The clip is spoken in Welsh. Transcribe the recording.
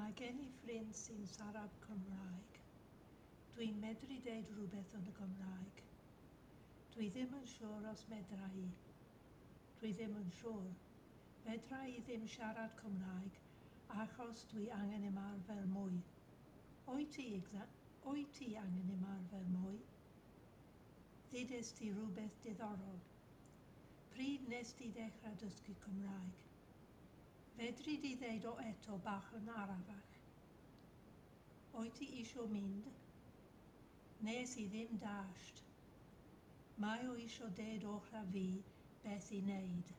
Mae gen i ffrind sy'n siarad Cymraeg. Dwi'n medru deud rhywbeth yn y Gymraeg. Dwi ddim yn siŵr os medra i. Dwi ddim yn siŵr. Fedra i ddim siarad Cymraeg achos dwi angen ymarfer mwy. Wyt ti, wyt ti angen ymarfer mwy? Ddudes ti rhywbeth diddorol. Pryd nes ti ddechrau dysgu Cymraeg? Fedri di ddeud o eto bach yn arafach? Wyt ti isio mynd? Nes i ddim dasht. Mae o isio deud wrtha fi beth i wneud.